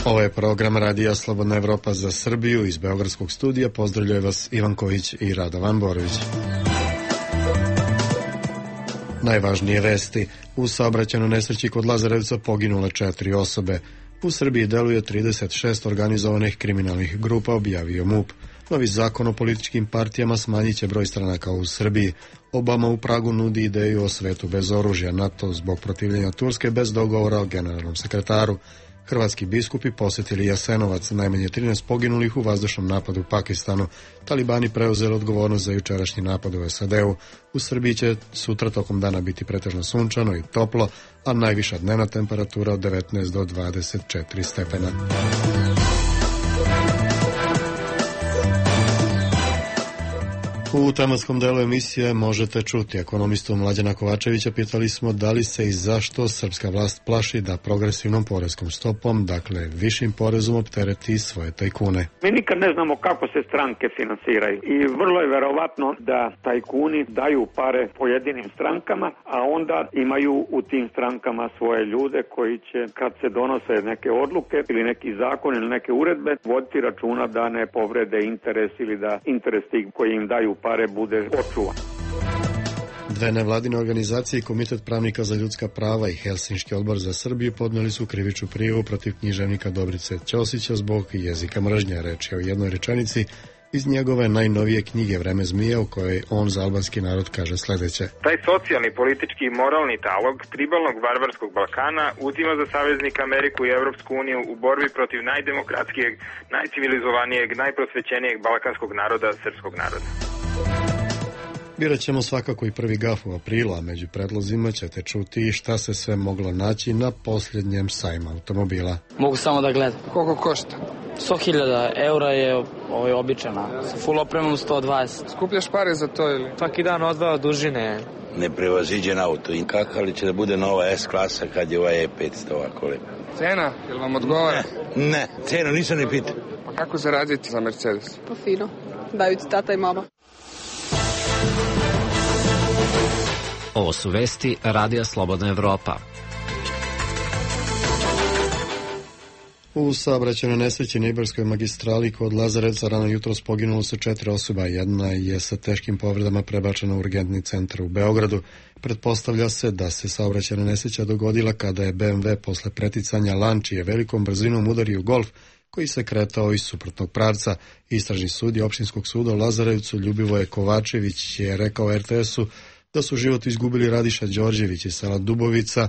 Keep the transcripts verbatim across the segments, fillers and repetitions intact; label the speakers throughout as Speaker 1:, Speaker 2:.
Speaker 1: Ovo je program Radija Slobodna Evropa za Srbiju. Iz beogradskog studija pozdravljaju vas Ivan Kojić i Radovan Borović. Najvažnije vesti. U saobraćajnoj nesreći kod Lazarevca poginule četiri osobe. U Srbiji deluje trideset šest organizovanih kriminalnih grupa, objavio MUP. Novi zakon o političkim partijama smanjit će broj stranaka u Srbiji. Obama u Pragu nudi ideju o svetu bez oružja, NATO zbog protivljenja Turske bez dogovora o generalnom sekretaru. Hrvatski biskupi posjetili Jasenovac, najmanje trinaest poginulih u vazdušnom napadu u Pakistanu. Talibani preuzeli odgovornost za jučerašnji napad u S A D-u. U Srbiji će sutra tokom dana biti pretežno sunčano i toplo, a najviša dnevna temperatura od devetnaest do dvadeset četiri stepena. U tematskom delu emisije možete čuti ekonomistu Mlađana Kovačevića. Pitali smo da li se i zašto srpska vlast plaši da progresivnom poreskom stopom, dakle višim porezom, optereti svoje tajkune.
Speaker 2: Mi nikad ne znamo kako se stranke finansiraju i vrlo je verovatno da tajkuni daju pare pojedinim strankama, a onda imaju u tim strankama svoje ljude koji će, kad se donose neke odluke ili neki zakon ili neke uredbe, voditi računa da ne povrede interes ili da interes tih koji im daju pare bude očuvan.
Speaker 1: Dve nevladine organizacije, Komitet pravnika za ljudska prava i Helsinški odbor za Srbiju podneli su krivičnu prijavu protiv književnika Dobrice Ćosića zbog jezika mržnje. Reč je o jednoj rečenici iz njegove najnovije knjige Vreme zmija, u kojoj on za albanski narod kaže sledeće.
Speaker 3: Taj socijalni, politički i moralni talog tribalnog varvarskog Balkana uzima za saveznika Ameriku i Evropsku uniju u borbi protiv najdemokratskijeg, najcivilizovanijeg, najprosvećenijeg balkanskog naroda, srpskog naroda.
Speaker 1: Birat ćemo svakako i prvi gaf u aprilu, a među predlozima ćete čuti šta se sve moglo naći na posljednjem sajmu automobila.
Speaker 4: Mogu samo da gledam.
Speaker 5: Koliko košta?
Speaker 4: sto hiljada eura je ovaj običana, sa full opremom sto dvadeset.
Speaker 5: Skupljaš pare za to ili?
Speaker 4: Svaki dan odvao dužine.
Speaker 6: Neprevaziđen auto. I kako li će da bude nova S klasa kad je ovaj E petsto ovako lepo?
Speaker 5: Cena? Jel vam odgovara?
Speaker 6: Ne, ne, cenu nisam ni pitao.
Speaker 5: Pa kako zaraditi za Mercedes?
Speaker 7: Pa fino, daju ti tata i mama.
Speaker 8: Ovo su vesti Radija Slobodna Evropa.
Speaker 1: U saobraćajnoj nesreći na Ibarskoj magistrali kod Lazarevca rano jutros poginulo su četiri osoba. Jedna je sa teškim povredama prebačena u urgentni centar u Beogradu. Pretpostavlja se da se saobraćajna nesreća dogodila kada je B M W posle preticanja lančije velikom brzinom udario Golf koji se kretao iz suprotnog pravca. Istražni sudija Opštinskog suda u Lazarevcu Ljubivoje Kovačević je rekao R T S-u da su život izgubili Radiša Đorđević iz sela Dubovica,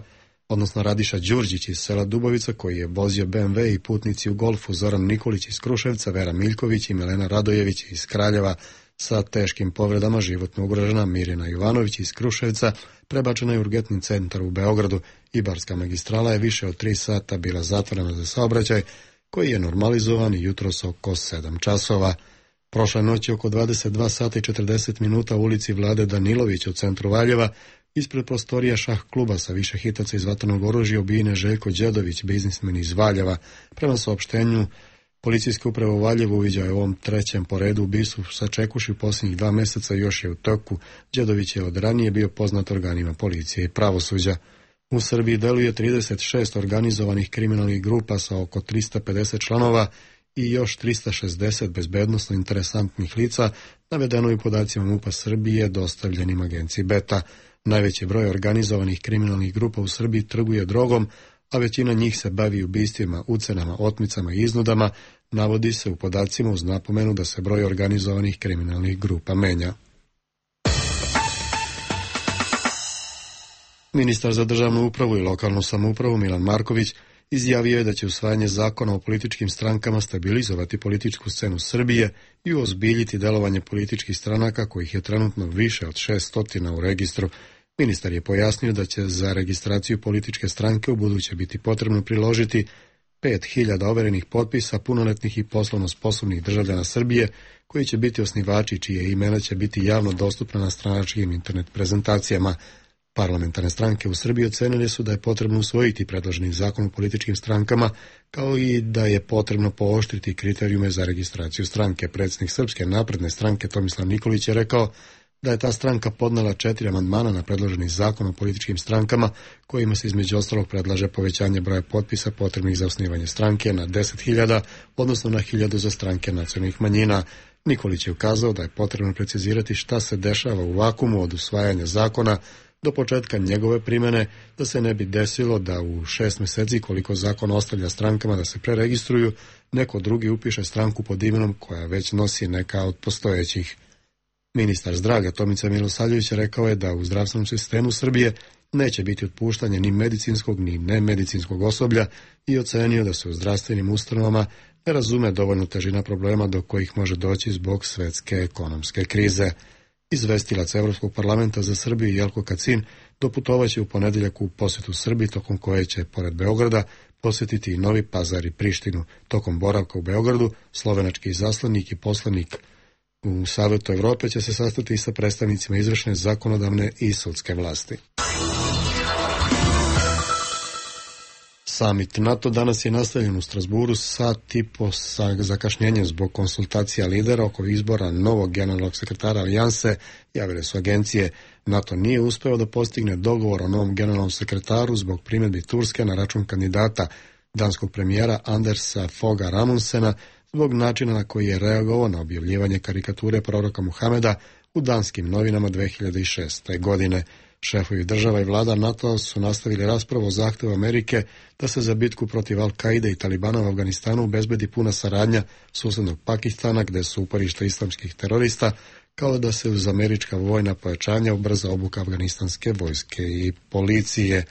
Speaker 1: odnosno Radiša Đurđić iz sela Dubovica koji je vozio B M W i putnici u Golfu Zoran Nikolić iz Kruševca, Vera Miljković i Milena Radojević iz Kraljeva. Sa teškim povredama životno ugrožena Mirjana Jovanović iz Kruševca prebačena je u urgentni centar u Beogradu. Ibarska magistrala je više od tri sata bila zatvorena za saobraćaj koji je normalizovan jutros oko sedam časova. Prošle noći oko dvadeset dva sata i četrdeset minuta u ulici Vlade Danilović u centru Valjeva, ispred prostorija šah kluba sa više hitaca iz vatrenog oružja ubijen je Željko Đedović, biznismen iz Valjeva. Prema saopštenju policijske uprave u Valjevu uviđao je ovom trećem po redu ubistvu sačekuši u posljednjih dva meseca još je u toku. Đedović je od ranije bio poznat organima policije i pravosuđa. U Srbiji deluje trideset šest organizovanih kriminalnih grupa sa oko trista pedeset članova i još trista šezdeset bezbednosno interesantnih lica, navedeno i podacima MUP-a Srbije dostavljenim agenciji Beta. Najveći broj organizovanih kriminalnih grupa u Srbiji trguje drogom, a većina njih se bavi ubistvima, ucenama, otmicama i iznudama, navodi se u podacima uz napomenu da se broj organizovanih kriminalnih grupa menja. Ministar za državnu upravu i lokalnu samoupravu Milan Marković izjavio je da će usvajanje zakona o političkim strankama stabilizovati političku scenu Srbije i uozbiljiti delovanje političkih stranaka kojih je trenutno više od šeststotina u registru. Ministar je pojasnio da će za registraciju političke stranke u buduće biti potrebno priložiti pet hiljada overenih potpisa punoletnih i poslovno sposobnih državljana Srbije koji će biti osnivači čije imena će biti javno dostupna na stranačkim internet prezentacijama. Parlamentarne stranke u Srbiji ocenili su da je potrebno usvojiti predloženi zakon o političkim strankama, kao i da je potrebno pooštriti kriterijume za registraciju stranke. Predsjednik Srpske napredne stranke Tomislav Nikolić je rekao da je ta stranka podnela četiri amandmana na predloženi zakon o političkim strankama, kojima se između ostalog predlaže povećanje broja potpisa potrebnih za osnivanje stranke na deset hiljada, odnosno na hiljadu za stranke nacionalnih manjina. Nikolić je ukazao da je potrebno precizirati šta se dešava u vakumu od usvajanja zakona do početka njegove primjene, da se ne bi desilo da u šest mjeseci, koliko zakon ostavlja strankama da se preregistruju, neko drugi upiše stranku pod imenom koja već nosi neka od postojećih. Ministar zdravlja Tomica Milosavljević rekao je da u zdravstvenom sistemu Srbije neće biti otpuštanje ni medicinskog ni nemedicinskog osoblja i ocenio da se u zdravstvenim ustanovama ne razume dovoljno težina problema do kojih može doći zbog svetske ekonomske krize. Izvestilac Evropskog parlamenta za Srbiju Jelko Kacin doputovaće u ponedjeljak u posjetu Srbiji, tokom koje će, pored Beograda, posjetiti i Novi Pazar i Prištinu. Tokom boravka u Beogradu, slovenački izaslanik i poslanik u Savetu Evrope će se sastati i sa predstavnicima izvršne, zakonodavne i sudske vlasti. Samit NATO danas je nastavljen u Strasburu sat i po sa zakašnjenjem zbog konsultacija lidera oko izbora novog generalnog sekretara alijanse. Javile su agencije. NATO nije uspeo da postigne dogovor o novom generalnom sekretaru zbog primjedbi Turske na račun kandidata danskog premijera Andersa Foga Ramundsena zbog načina na koji je reagovao na objavljivanje karikature proroka Muhameda u danskim novinama dve hiljade šeste. godine. Šefovi država i vlada NATO su nastavili raspravu o zahtevu Amerike da se za bitku protiv Al-Kaide i Talibana u Afganistanu obezbedi puna saradnja susednog Pakistana, gde su uporišta islamskih terorista, kao da se uz američka vojna pojačanja ubrza obuka afganistanske vojske i policije.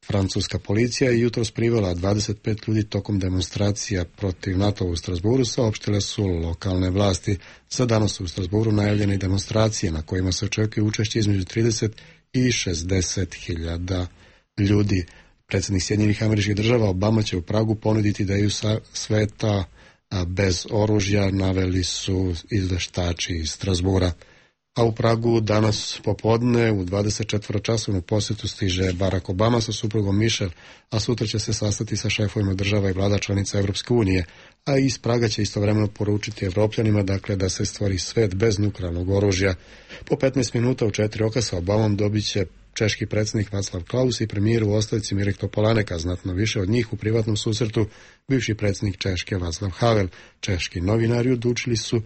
Speaker 1: Francuska policija je jutros privela dvadeset pet ljudi tokom demonstracija protiv NATO u Strasburu, saopštile su lokalne vlasti. Za danas su u Strasburu najavljene i demonstracije na kojima se očekuje učešće između trideset i šezdeset hiljada ljudi. Predsjednik Sjedinjenih Američkih Država Obama će u Pragu ponuditi ideju sveta bez oružja, naveli su izveštači iz Strasbura. A u Pragu danas popodne u dvadeset četiri časovnu posjetu stiže Barack Obama sa suprugom Michelle, a sutra će se sastati sa šefovima država i vlada članica Evropske unije, a iz Praga će istovremeno poručiti Evropljanima dakle da se stvori svet bez nuklearnog oružja. Po petnaest minuta u četiri oka sa Obamom dobit će češki predsjednik Václav Klaus i premijer u ostavci Mirek Topolánek, a znatno više od njih u privatnom susretu bivši predsjednik Češke Václav Havel. Češki novinari odlučili su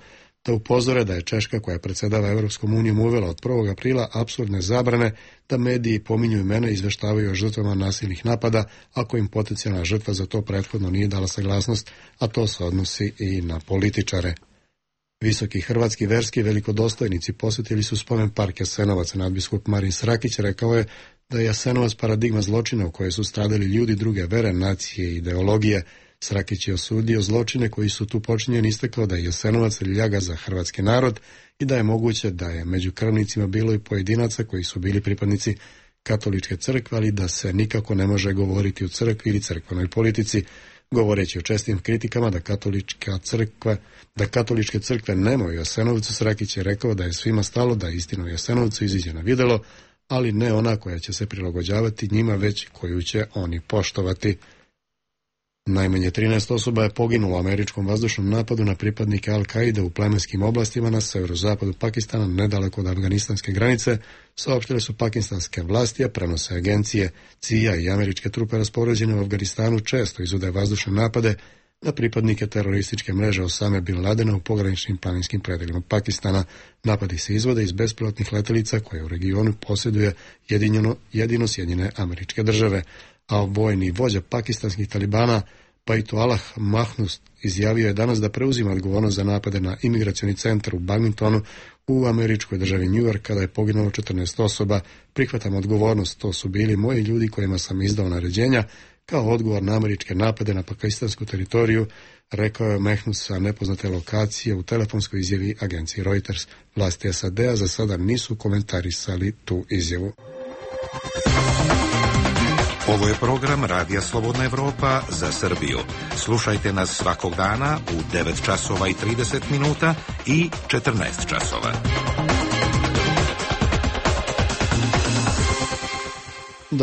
Speaker 1: da upozore da je Češka, koja predsjedava Evropskom unijom, uvela od prvog aprila apsurdne zabrane da mediji pominju imena i izveštavaju o žrtvama nasilnih napada, ako im potencijalna žrtva za to prethodno nije dala saglasnost, a to se odnosi i na političare. Visoki hrvatski verski velikodostojnici posjetili su spomen park Jasenovac. Nadbiskup Marin Srakić rekao je da je Jasenovac paradigma zločina u kojoj su stradali ljudi druge vere, nacije i ideologije. Srakić je osudio zločine koji su tu počinjeni, istakao da je Jasenovac ljaga za hrvatski narod i da je moguće da je među krvnicima bilo i pojedinaca koji su bili pripadnici katoličke crkve, ali da se nikako ne može govoriti o crkvi ili crkvenoj politici. Govoreći o čestim kritikama da katolička crkva, da katoličke crkve nemaju Jasenovcu, Srakić je rekao da je svima stalo da istina o Jasenovcu iziđe na videlo, ali ne ona koja će se prilagođavati njima, već koju će oni poštovati. Najmanje trinaest osoba je poginulo u američkom vazdušnom napadu na pripadnike Al-Kaide u plemenskim oblastima na severozapadu Pakistana, nedaleko od afganistanske granice, saopštile su pakistanske vlasti, a prenose agencije. C I A i američke trupe raspoređene u Afganistanu često izvode vazdušne napade na pripadnike terorističke mreže Osame Bin Ladena u pograničnim planinskim predelima Pakistana. Napadi se izvode iz bespilotnih letelica koje u regionu posjeduje jedino, jedino Sjedinjene Američke Države, a vojni vođa pakistanskih talibana Baitullah Mahnus izjavio je danas da preuzima odgovornost za napade na imigracioni centar u Bagmintonu u američkoj državi New York, kada je poginulo četrnaest osoba. Prihvatam odgovornost, to su bili moji ljudi kojima sam izdao naređenja kao odgovor na američke napade na pakistansku teritoriju, rekao je Mahnus sa nepoznate lokacije u telefonskoj izjavi agenciji Reuters. Vlasti S A D-a za sada nisu komentarisali tu izjavu.
Speaker 9: Ovo je program Radija Slobodna Evropa za Srbiju. Slušajte nas svakog dana u devet časova i trideset minuta i četrnaest časova.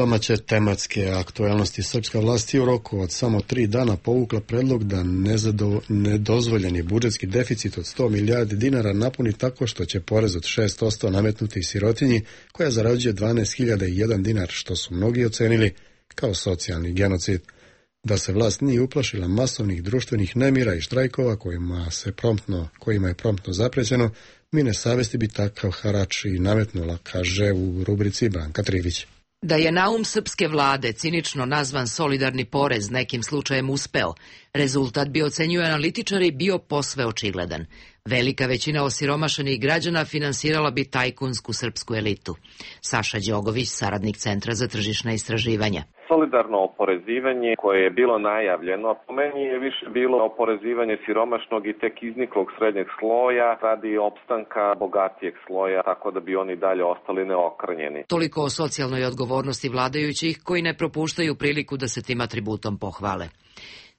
Speaker 1: domaće tematske aktualnosti. Srpska vlast je u roku od samo tri dana povukla predlog da nezado, nedozvoljeni budžetski deficit od sto milijardi dinara napuni tako što će porez od šest posto nametnuti sirotinji koja zarađuje dvanaest hiljada jedan dinar, što su mnogi ocenili kao socijalni genocid. Da se vlast nije uplašila masovnih društvenih nemira i štrajkova kojima, se promptno, kojima je promptno zaprećeno, mine savesti bi takav harač i nametnula, kaže u rubrici Branka Trivić.
Speaker 10: Da je naum srpske vlade cinično nazvan solidarni porez nekim slučajem uspeo, rezultat bi, ocenjuju analitičari, bio posve očigledan. Velika većina osiromašenih građana finansirala bi tajkunsku srpsku elitu. Saša Đogović, saradnik Centra za tržišna istraživanja.
Speaker 11: Solidarno oporezivanje koje je bilo najavljeno, po meni je više bilo oporezivanje siromašnog i tek izniklog srednjeg sloja radi opstanka bogatijeg sloja, tako da bi oni dalje ostali neokrnjeni.
Speaker 10: Toliko o socijalnoj odgovornosti vladajućih koji ne propuštaju priliku da se tim atributom pohvale.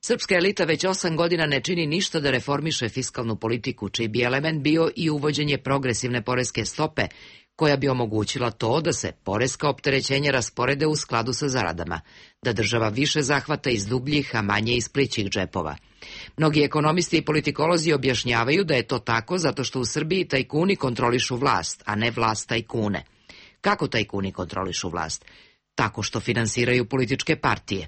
Speaker 10: Srpska elita već osam godina ne čini ništa da reformiše fiskalnu politiku, čiji bi element bio i uvođenje progresivne poreske stope, koja bi omogućila to da se poreska opterećenja rasporede u skladu sa zaradama, da država više zahvata iz dubljih, a manje iz plićih džepova. Mnogi ekonomisti i politikolozi objašnjavaju da je to tako zato što u Srbiji tajkuni kontrolišu vlast, a ne vlast tajkune. Kako tajkuni kontrolišu vlast? Tako što finansiraju političke partije.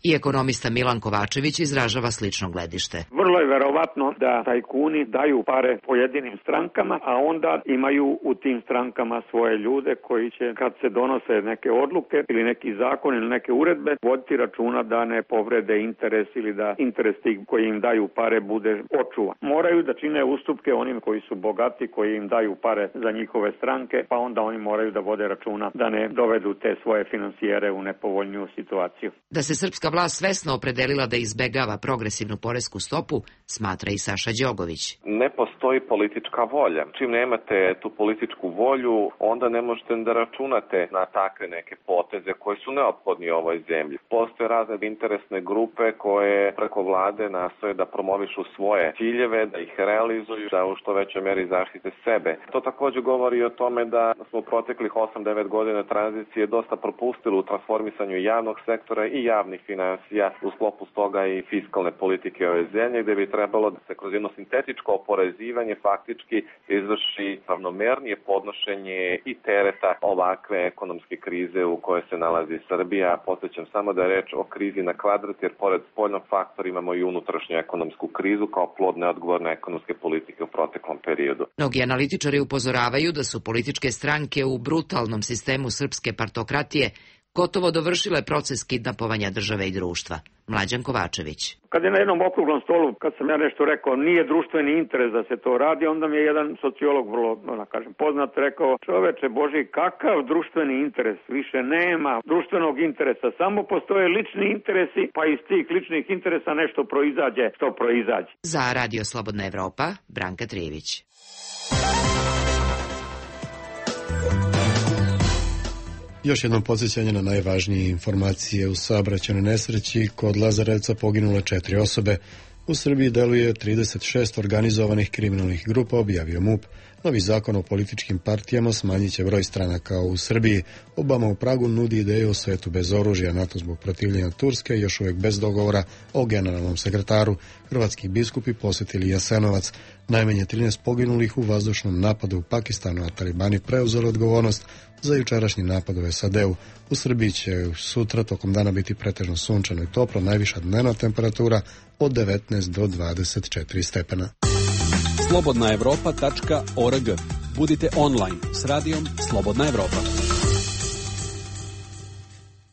Speaker 10: I ekonomista Milan Kovačević izražava slično gledište.
Speaker 2: Vrlo je verovatno da tajkuni daju pare pojedinim strankama, a onda imaju u tim strankama svoje ljude koji će, kad se donose neke odluke ili neki zakon ili neke uredbe, voditi računa da ne povrede interes ili da interes tih koji im daju pare bude očuvan. Moraju da čine ustupke onim koji su bogati, koji im daju pare za njihove stranke, pa onda oni moraju da vode računa da ne dovedu te svoje financijere u nepovoljniju situaciju.
Speaker 10: Da se srpska vlast svesno opredelila da izbegava progresivnu poresku stopu, smatra i Saša Đogović.
Speaker 11: Ne postoji politička volja. Čim nemate tu političku volju, onda ne možete da računate na takve neke poteze koji su neophodni u ovoj zemlji. Postoje razne interesne grupe koje preko vlade nastoje da promovišu svoje ciljeve, da ih realizuju, da u što većoj meri zaštite sebe. To također govori o tome da smo u proteklih osam devet godina tranzicije dosta propustili u transformisanju javnog sektora i javnih financija, u sklopu toga i fiskalne politike ove zemlje, gde bi trebalo da se kroz jedno sintetičko oporezivanje faktički izvrši ravnomernije podnošenje i tereta ovakve ekonomske krize u kojoj se nalazi Srbija. Podsjećam samo da je reč o krizi na kvadrat, jer pored spoljnog faktora imamo i unutrašnju ekonomsku krizu kao plod neodgovorne ekonomske politike u proteklom periodu.
Speaker 10: Mnogi analitičari upozoravaju da su političke stranke u brutalnom sistemu srpske partokratije gotovo dovršile proces kidnapovanja države i društva. Mlađan Kovačević.
Speaker 2: Kad je na jednom okruglom stolu, kad sam ja nešto rekao, nije društveni interes da se to radi, onda mi je jedan sociolog vrlo, da kažem, poznat rekao, čoveče Boži, kakav društveni interes? Više nema društvenog interesa, samo postoje lični interesi, pa iz tih ličnih interesa nešto proizađe, što proizađe.
Speaker 10: Za Radio Slobodna Evropa, Branka Trivić.
Speaker 1: Još jednom podsjećanje na najvažnije informacije u saobraćajnoj nesreći. Kod Lazarevca poginule četiri osobe. U Srbiji deluje trideset šest organizovanih kriminalnih grupa, objavio MUP. Novi zakon o političkim partijama smanjit će broj stranaka u Srbiji. Obama u Pragu nudi ideju o svetu bez oružja. NATO zbog protivljenja Turske još uvijek bez dogovora o generalnom sekretaru. Hrvatski biskupi posjetili Jasenovac. Najmanje trinaest poginulih u vazdušnom napadu u Pakistanu, a talibani preuzeli odgovornost za jučerašnji napad u S A D-u. U Srbiji će sutra tokom dana biti pretežno sunčano i toplo, najviša dnevna temperatura od devetnaest do dvadeset četiri stepena.
Speaker 12: slobodna evropa tačka org. Budite online s radijom Slobodna Evropa.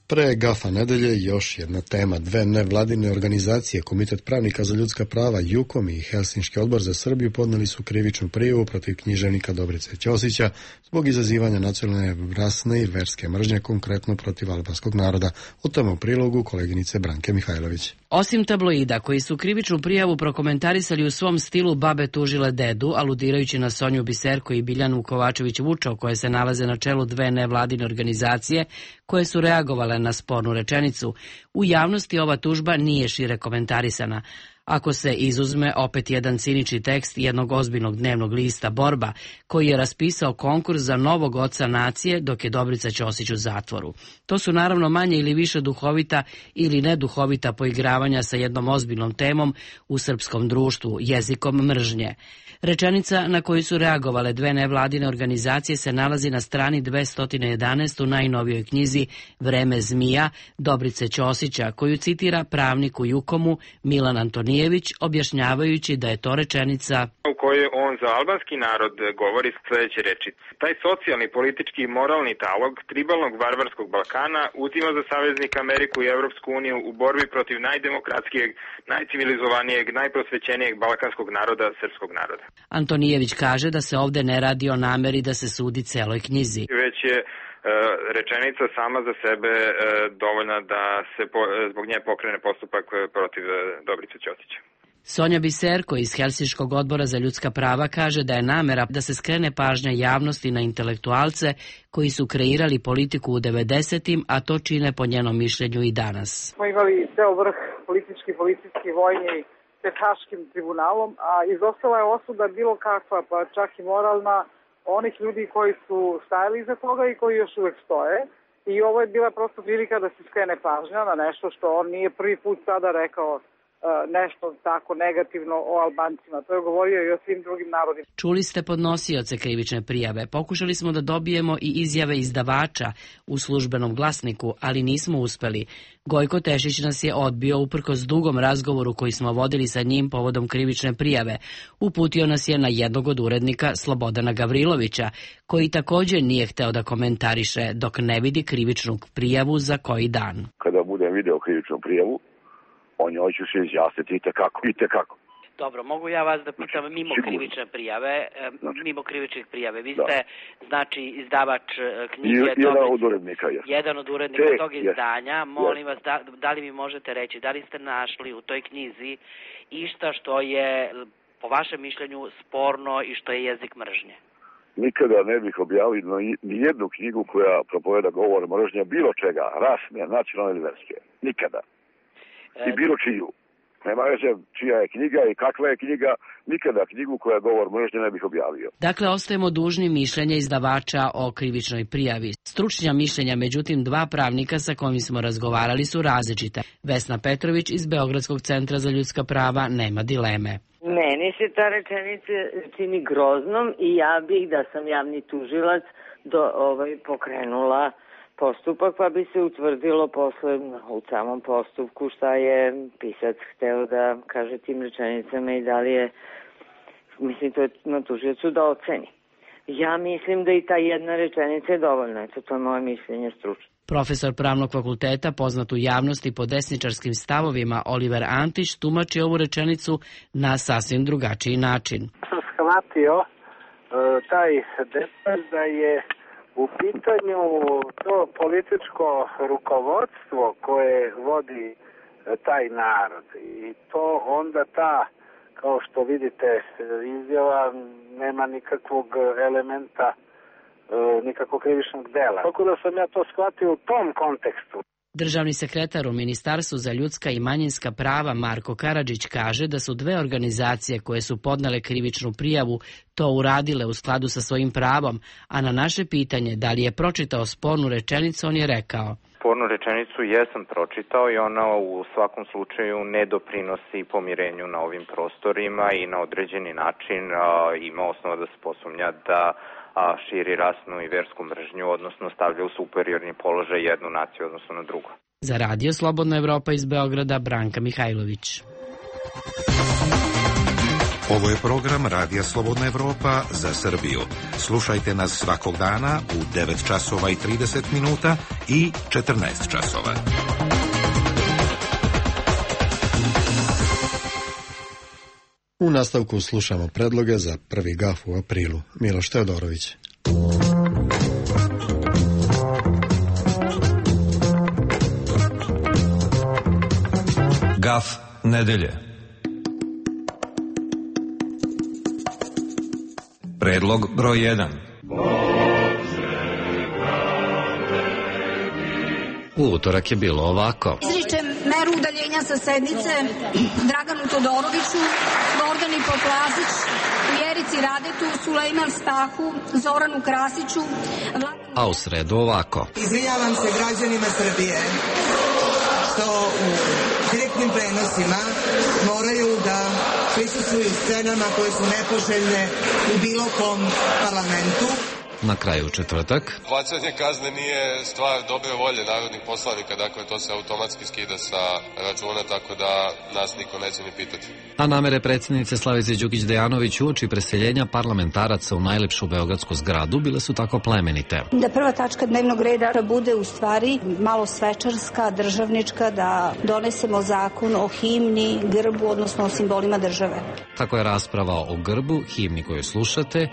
Speaker 1: Pre Gafa nedelje još jedna tema. Dve nevladine organizacije, Komitet pravnika za ljudska prava JUKOM i Helsinški odbor za Srbiju podneli su krivičnu prijavu protiv književnika Dobrice Ćosića zbog izazivanja nacionalne, rasne i verske mržnje, konkretno protiv albanskog naroda. O tome u prilogu koleginice Branke Mihajlović.
Speaker 13: Osim tabloida koji su krivičnu prijavu prokomentarisali u svom stilu babe tužile dedu, aludirajući na Sonju Biserko i Biljanu Kovačević-Vučov, koje se nalaze na čelu dve nevladine organizacije koje su reagovale na spornu rečenicu, U javnosti ova tužba nije šire komentarisana. Ako se izuzme opet jedan cinični tekst jednog ozbiljnog dnevnog lista Borba, koji je raspisao konkurs za novog oca nacije dok je Dobrica Ćosić u zatvoru. To su naravno manje ili više duhovita ili neduhovita poigravanja sa jednom ozbiljnom temom u srpskom društvu, jezikom mržnje. Rečenica na koju su reagovale dve nevladine organizacije se nalazi na strani dvesta jedanaest u najnovijoj knjizi Vreme zmija Dobrice Ćosića, koju citira pravnik u Jukomu Milan Antonijević, objašnjavajući da je to rečenica
Speaker 3: u kojoj on za albanski narod govori sljedeće rečice. Taj socijalni, politički i moralni talog tribalnog varvarskog Balkana uzima za saveznik Ameriku i Evropsku uniju u borbi protiv najdemokratskijeg, najcivilizovanijeg, najprosvećenijeg balkanskog naroda, srpskog naroda.
Speaker 13: Antonijević kaže da se ovde ne radi o nameri da se sudi celoj knjizi.
Speaker 3: Već je e, rečenica sama za sebe e, dovoljna da se po, zbog nje pokrene postupak protiv e, Dobrice Ćosića.
Speaker 13: Sonja Biserko iz Helsinškog odbora za ljudska prava kaže da je namera da se skrene pažnja javnosti na intelektualce koji su kreirali politiku u devedesetim, a to čine po njenom mišljenju i danas.
Speaker 14: Smo imali ceo vrh politički, policijski, vojni pred Haškim tribunalom, a izostala je osuda bilo kakva, pa čak i moralna, onih ljudi koji su stajali iza toga i koji još uvek stoje. I ovo je bila prosto prilika da se skrene pažnja na nešto što on nije prvi put sada rekao nešto tako negativno o Albancima. To je govorio i o svim drugim narodima.
Speaker 13: Čuli ste podnosioce krivične prijave. Pokušali smo da dobijemo i izjave izdavača u službenom glasniku, ali nismo uspeli. Gojko Tešić nas je odbio uprkos dugom razgovoru koji smo vodili sa njim povodom krivične prijave. Uputio nas je na jednog od urednika Slobodana Gavrilovića, koji također nije hteo da komentariše dok ne vidi krivičnu prijavu za koji dan.
Speaker 15: Kada budem video krivičnu prijavu, o njoj ću se izjasniti i tekako, i tekako.
Speaker 16: Dobro, mogu ja vas da pitam mimo Sigurno. krivične prijave, znači. mimo krivičnih prijave. Vi ste, da. znači, izdavač knjige...
Speaker 15: I, jedan od urednika, jes.
Speaker 16: Jedan od urednika
Speaker 15: Te,
Speaker 16: tog izdanja. Jes. Molim vas, da, da li mi možete reći, da li ste našli u toj knjizi išta što je, po vašem mišljenju, sporno i što je jezik mržnje?
Speaker 15: Nikada ne bih objavio ni jednu knjigu koja propoveda govor mržnje bilo čega, rasne, nacionalne ili verske. Nikada. I bilo čiju. Nema veze čija je knjiga i kakva je knjiga, nikada knjigu koja govor mržnje ne bih objavio.
Speaker 13: Dakle, ostajemo dužni mišljenja izdavača o krivičnoj prijavi. Stručnja mišljenja, međutim, dva pravnika sa kojim smo razgovarali su različite. Vesna Petrović iz Beogradskog centra za ljudska prava nema dileme.
Speaker 17: Meni se ta rečenica čini groznom i ja bih, da sam javni tužilac, do, ovaj, pokrenula postupak, pa bi se utvrdilo posle u samom postupku šta je pisac hteo da kaže tim rečenicama i da li je, mislim, to je na tužiocu da oceni. Ja mislim da i ta jedna rečenica je dovoljna, eto, to je moje mišljenje stručno.
Speaker 13: Profesor pravnog fakulteta, poznat u javnosti po desničarskim stavovima, Oliver Antić, tumači ovu rečenicu na sasvim drugačiji način.
Speaker 18: Sam shvatio uh, taj detalj da je u pitanju to političko rukovodstvo koje vodi taj narod i to onda ta, kao što vidite, izjava nema nikakvog elementa, nikakvog krivičnog dela. Tako da sam ja to shvatio u tom kontekstu.
Speaker 13: Državni sekretar u Ministarstvu za ljudska i manjinska prava Marko Karadžić kaže da su dve organizacije koje su podnele krivičnu prijavu to uradile u skladu sa svojim pravom, a na naše pitanje da li je pročitao spornu rečenicu, on je rekao:
Speaker 19: Spornu rečenicu jesam pročitao i ona u svakom slučaju ne doprinosi pomirenju na ovim prostorima i na određeni način a, ima osnova da se posumnja da a, širi rasnu i versku mržnju, odnosno stavlja u superiorni položaj jednu naciju odnosno na drugu.
Speaker 13: Za Radio Slobodna Evropa iz Beograda, Branka Mihajlović.
Speaker 9: Ovo je program Radija Slobodna Evropa za Srbiju. Slušajte nas svakog dana u devet časova i trideset minuta i četrnaest časova.
Speaker 1: U nastavku slušamo predloge za prvi gaf u aprilu. Miloš Teodorović.
Speaker 20: Gaf nedelje. Predlog broj jedan.
Speaker 8: U utorak je bilo ovako.
Speaker 21: Izričem meru udaljenja sa sednice Draganu Todoroviću, Gordani Poplazić, Vjerici Radetu, Sulejman Stahu, Zoranu Krasiću.
Speaker 8: A u sredu ovako.
Speaker 22: Izvinjavam se građanima Srbije što u direktnim prenosima moraju da prisustvuju scenama koje su nepoželjne u bilo kom parlamentu.
Speaker 8: Na kraju četvrtak.
Speaker 23: Plaćanje kazne nije stvar dobre volje narodnih poslanika, dakle to se automatski skida sa računa, tako da nas niko neće ni pitati.
Speaker 8: A namere predsjednice Slavice Đukić-Dejanović uoči preseljenja parlamentaraca u najlepšu beogradsku zgradu bile su tako plemenite.
Speaker 21: Da prva tačka dnevnog reda bude u stvari malo svečarska, državnička, da donesemo zakon o himni, grbu, odnosno o simbolima države.
Speaker 8: Tako je rasprava o grbu, himni koju slušate,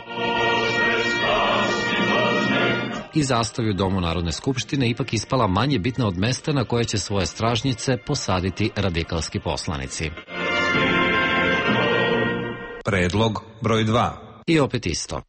Speaker 8: i zastavi u Domu Narodne skupštine ipak ispala manje bitna od mesta na koje će svoje stražnjice posaditi radikalski poslanici.
Speaker 20: Predlog broj dva.
Speaker 8: I opet isto.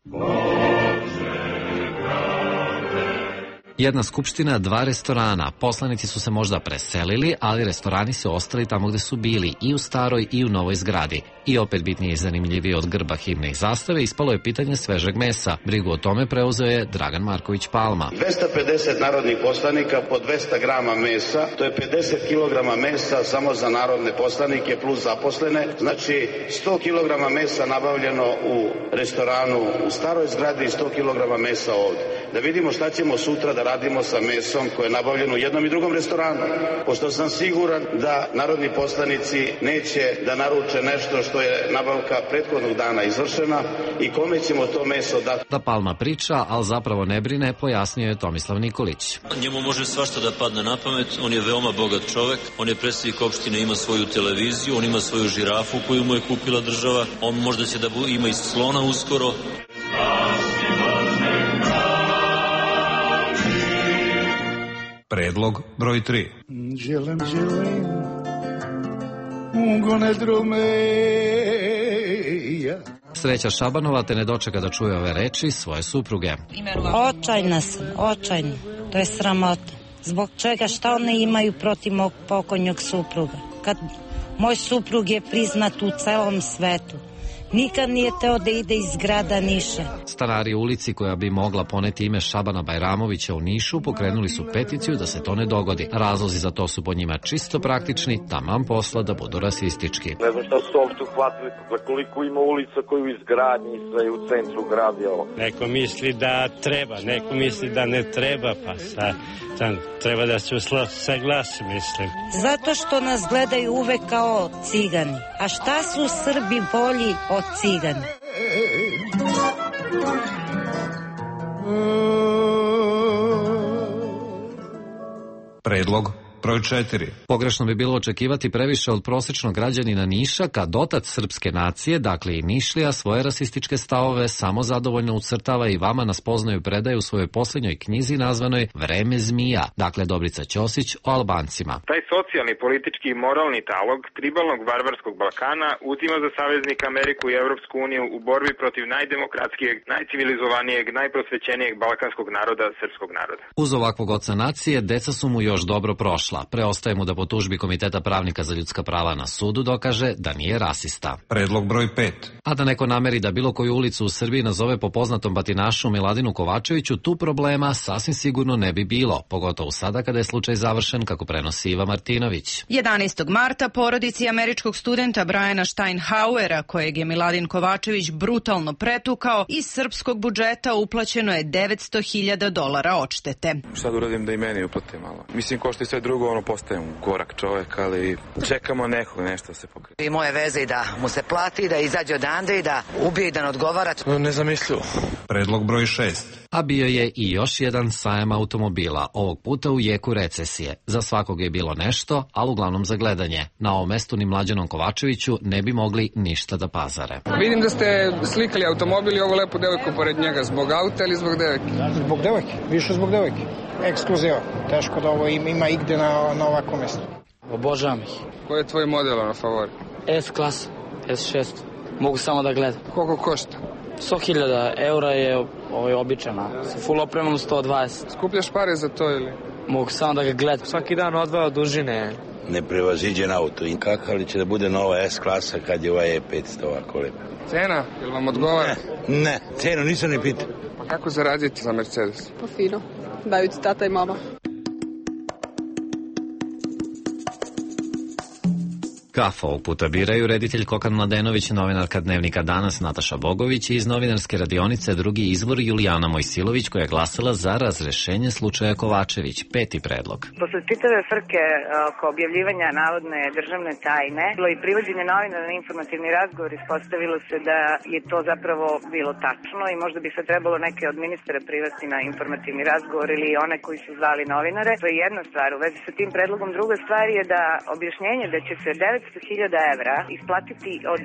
Speaker 8: Jedna skupština, dva restorana. Poslanici su se možda preselili, ali restorani su ostali tamo gde su bili, i u staroj i u novoj zgradi. I opet bitnije i zanimljivije od grba, himne i zastave ispalo je pitanje svežeg mesa. Brigu o tome preuzeo je Dragan Marković Palma.
Speaker 24: dvesta pedeset narodnih poslanika po dvesta grama mesa, to je pedeset kilograma mesa samo za narodne poslanike plus zaposlene, znači sto kilograma mesa nabavljeno u restoranu u staroj zgradi i sto kilograma mesa ovde. Da vidimo šta ćemo sutra da radimo sa mesom koje je nabavljeno u jednom i drugom restoranu, pošto sam siguran da narodni poslanici neće da naruče nešto što je nabavka prethodnog dana izvršena i kome ćemo to meso dati.
Speaker 8: Da Palma priča, ali zapravo ne brine, pojasnio je Tomislav Nikolić.
Speaker 25: Njemu može svašta da padne na pamet, on je veoma bogat čovek, on je predsjednik opštine, ima svoju televiziju, on ima svoju žirafu koju mu je kupila država, on možda će da ima i slona uskoro.
Speaker 20: Predlog broj tri.
Speaker 26: Želem, želim, ugone drumeja.
Speaker 8: Sreća Šabanova te ne dočeka da čuje ove reči svoje supruge.
Speaker 27: Očajna sam, očajna. To je sramota. Zbog čega, šta one imaju protiv mog pokojnog supruga? Kad moj suprug je priznat u celom svetu. Nikad nije teo da ide iz grada Niša.
Speaker 8: Stanari u ulici koja bi mogla poneti ime Šabana Bajramovića u Nišu pokrenuli su peticiju da se to ne dogodi. Razlozi za to su po njima čisto praktični, taman posla da budu rasistički.
Speaker 28: Ne znam šta su uopšte uhvatili, za koliko ima ulica koju izgradnji sve u centru grada.
Speaker 29: Neko misli da treba, neko misli da ne treba, pa sad tam treba da se saglasi, mislim.
Speaker 27: Zato što nas gledaju uvek kao cigani. A šta su Srbi bolji od cigana?
Speaker 20: Predlog broj četiri.
Speaker 8: Pogrešno bi bilo očekivati previše od prosječnog građanina Niša kad otac srpske nacije, dakle i Nišlija, svoje rasističke stavove samo zadovoljno ucrtava i vama na spoznaju predaje u svojoj posljednjoj knjizi nazvanoj Vreme zmija, dakle Dobrica Ćosić o Albancima.
Speaker 3: Taj socijalni, politički i moralni talog tribalnog varvarskog Balkana utima za saveznika Ameriku i Evropsku uniju u borbi protiv najdemokratskijeg, najcivilizovanijeg, najprosvećenijeg balkanskog naroda, srpskog naroda.
Speaker 8: Uz ovakvog oca nacije, deca su mu još dobro prošla. Preostaje mu da po tužbi Komiteta pravnika za ljudska prava na sudu dokaže da nije rasista.
Speaker 20: Predlog broj pet.
Speaker 8: A da neko nameri da bilo koju ulicu u Srbiji nazove po poznatom batinašu Miladinu Kovačeviću, tu problema sasvim sigurno ne bi bilo, pogotovo sada kada je slučaj završen, kako prenosi Iva Martinović.
Speaker 30: jedanaestog marta porodici američkog studenta Briana Steinhauera, kojeg je Miladin Kovačević brutalno pretukao, iz srpskog budžeta uplaćeno je devetsto hiljada dolara odštete.
Speaker 31: Šta da uradim da i meni uplate malo? Mislim, ko što i sve drugo, ono, postajem gorak čovek, ali čekamo nekog, nešto se pokrije.
Speaker 32: I moje veze i da mu se plati, da izađe odande i da ubije i da ne odgovara.
Speaker 31: Ne zamislio.
Speaker 20: Predlog broj šest.
Speaker 8: A bio je i još jedan sajam automobila, ovog puta u jeku recesije. Za svakog je bilo nešto, ali uglavnom za gledanje. Na ovom mestu ni Mlađanom Kovačeviću ne bi mogli ništa da pazare.
Speaker 5: Vidim da ste slikali automobil i ovo lepo devojku pored njega. Zbog auta ili zbog devojke?
Speaker 33: Zbog devojke, više zbog devojke. Ekskluziva. Teško da ovo ima igde na, na ovako mesto.
Speaker 4: Obožavam ih.
Speaker 5: Koji je tvoj model na favori?
Speaker 4: S klasa, S šest. Mogu samo da gledam.
Speaker 5: Koliko košta?
Speaker 4: sto hiljada eura je ovaj, običana. Sa full opremom sto dvadeset.
Speaker 5: Skupljaš pare za to ili?
Speaker 4: Mogu samo da ga gledam.
Speaker 34: Svaki dan odvao dužine
Speaker 2: neprevaziđen auto. I kakav li će da bude nova S klasa kad je ovaj E petsto ovako lepo?
Speaker 5: Cena, jel vam odgovara?
Speaker 2: Ne, ne, cenu nisam ni pitao.
Speaker 5: Pa kako zaraditi za Mercedes?
Speaker 6: Pa fino, daju ti tata i mama.
Speaker 8: Kafa ovog puta biraju reditelj Kokan Mladenović, novinarka Dnevnika Danas Nataša Bogović i iz novinarske radionice drugi izvor Julijana Mojsilović koja je glasala za razrešenje slučaja Kovačević. Peti predlog.
Speaker 7: Posle čitave frke oko objavljivanja navodne državne tajne bilo i privođenje novinara na informativni razgovor, ispostavilo se da je to zapravo bilo tačno i možda bi se trebalo neke od ministara privesti na informativni razgovor ili one koji su zvali novinare. To je jedna stvar u vezi sa tim predlogom. Druga stvar je da objašnjenje da će se devetsto hiljada evra isplatiti od,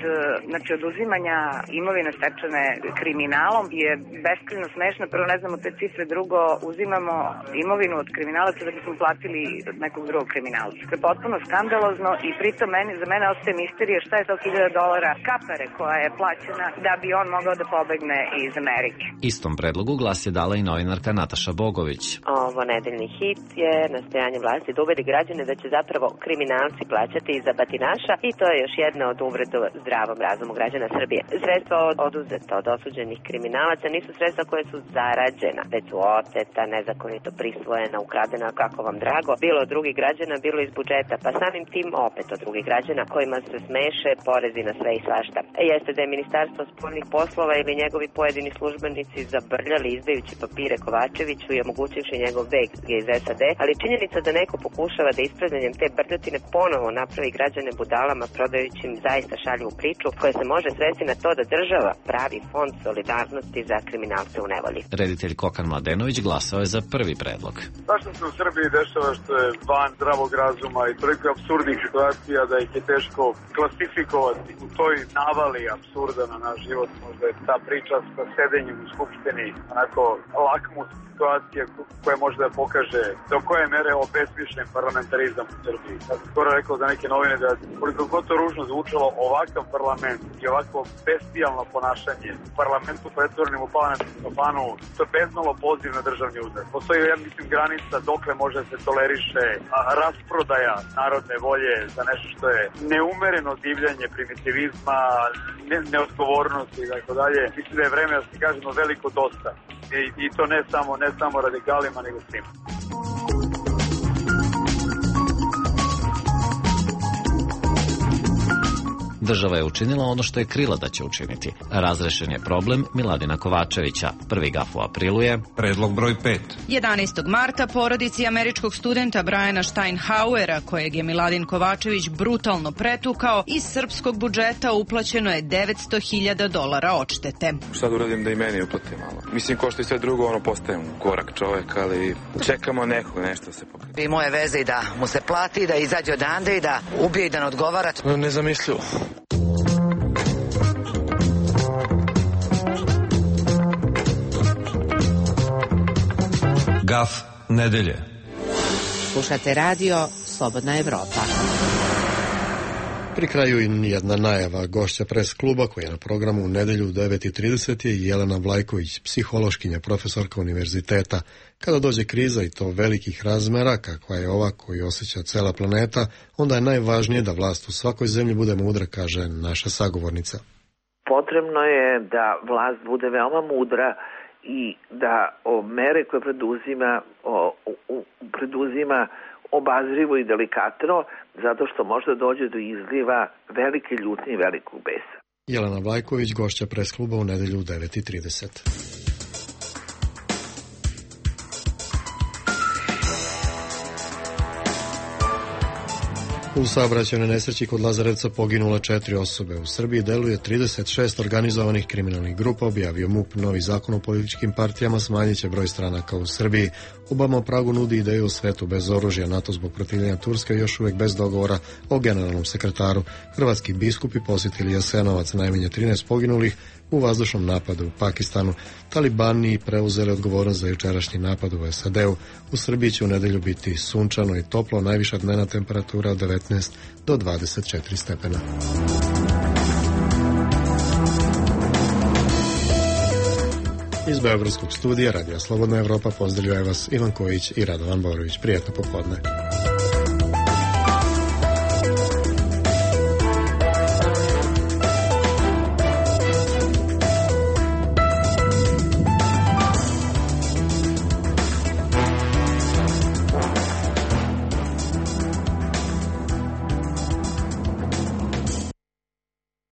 Speaker 7: znači, oduzimanja imovine stečene kriminalom je beskrajno smešno. Prvo ne znamo te cifre, drugo uzimamo imovinu od kriminalaca da bismo platili nekog drugog kriminalca. To je potpuno skandalozno i pritom meni, za mene ostaje misterija šta je to hiljada dolara kapare koja je plaćena da bi on mogao da pobegne iz Amerike.
Speaker 8: Istom predlogu glas je dala i novinarka Nataša Bogović.
Speaker 10: Ovo nedeljni hit je nastojanje vlasti da ubedi građane da će zapravo kriminalci plaćati za batinaša i to je još jedna od uvreda zdravom razumu građana Srbije. Sredstva oduzeta od osuđenih kriminalaca nisu sredstva koje su zarađena, već su oteta, nezakonito prisvojena, ukradena, kako vam drago, bilo od drugih građana, bilo iz budžeta, pa samim tim opet od drugih građana kojima se smeše porezi na sve i svašta. Jeste da je Ministarstvo spoljnih poslova ili njegovi pojedini službenici zabrljali izdajući papire Kovačeviću i omogućivši njegov beg iz S A D, ali činjenica da neko pokušava da ispravljanjem te brljotine ponovo napravi građane budalama prodajući im zaista šaljivu priču koja se može svesti na to da država pravi fond solidarnosti za kriminalce u nevolji.
Speaker 8: Reditelj Kokan Mladenović glasao je za prvi predlog.
Speaker 11: Zašto se u Srbiji dešava što je van zdravog razuma i toliko apsurdnih situacija da ih je teško klasifikovati u toj navali apsurda na naš život? Možda je ta priča sa sedenjem u skupštini onako lakmus situacija koja može da pokaže do koje mere obesmišljen parlamentarizam u Srbiji. Ja sam skoro rekao za neke novine da koliko god to ružno zvučalo, ovakav parlament i ovako bestijalno ponašanje u parlamentu pretvorenim u parlamentu, to je bezmalo poziv na državni udar. Postoji, ja mislim, granica dokle može se toleriše rasprodaja narodne volje za nešto što je neumereno divljanje primitivizma, ne, neodgovornosti i tako dalje. Mislim da je vreme da se kažemo veliko dosta. I, i to ne samo, ne samo radikalima, nego svima.
Speaker 8: Država je učinila ono što je krila da će učiniti. Razrešen je problem Miladina Kovačevića. Prvi gaf u aprilu je
Speaker 20: predlog broj pet.
Speaker 30: jedanaestog marta porodici američkog studenta Briana Steinhauera, kojeg je Miladin Kovačević brutalno pretukao, iz srpskog budžeta uplaćeno je devetsto hiljada dolara odštete.
Speaker 31: Šta da uradim da i meni uplati malo? Mislim, ko što i sve drugo, ono, postajem gorak čovek, ali čekamo nekog, nešto se pokrije.
Speaker 32: I moje veze i da mu se plati, da izađe odande i da ubije i da ne odgovara.
Speaker 31: Nezamislivo.
Speaker 20: Gaf nedelje.
Speaker 12: Slušate radio Slobodna Evropa.
Speaker 1: Pri kraju i jedna najava. Gošća pres kluba koji je na programu u nedelju u devet i trideset je Jelena Vlajković, psihološkinja, profesorka univerziteta. Kada dođe kriza i to velikih razmera, kakva je ova koju osjeća cela planeta, onda je najvažnije da vlast u svakoj zemlji bude mudra, kaže naša sagovornica.
Speaker 13: Potrebno je da vlast bude veoma mudra i da o mere koje preduzima, o, o, preduzima obazrivo i delikatno, zato što možda dođe do izliva velike ljutnje i velikog besa.
Speaker 1: Jelena Vlajković, gošća pres kluba u nedelju u devet i trideset. U saobraćajnoj nesreći kod Lazarevca poginula četiri osobe. U Srbiji deluje trideset šest organizovanih kriminalnih grupa, objavio M U P. Novi zakon o političkim partijama smanjit će broj stranaka u Srbiji. Obama u Pragu nudi ideju o svetu bez oružja. NATO zbog protivljenja Turske još uvek bez dogovora o generalnom sekretaru. Hrvatski biskupi posjetili Jasenovac, najmanje trinaest poginulih u vazdušnom napadu u Pakistanu. Talibani preuzeli odgovornost za jučerašnji napad u S A D-u. U Srbiji će u nedelju biti sunčano i toplo, najviša dnevna temperatura od devetnaest do dvadeset četiri stepena. Iz beogradskog studija Radija Slobodna Evropa pozdravljaju vas Ivan Kojić i Radovan Borović. Prijetno popodne.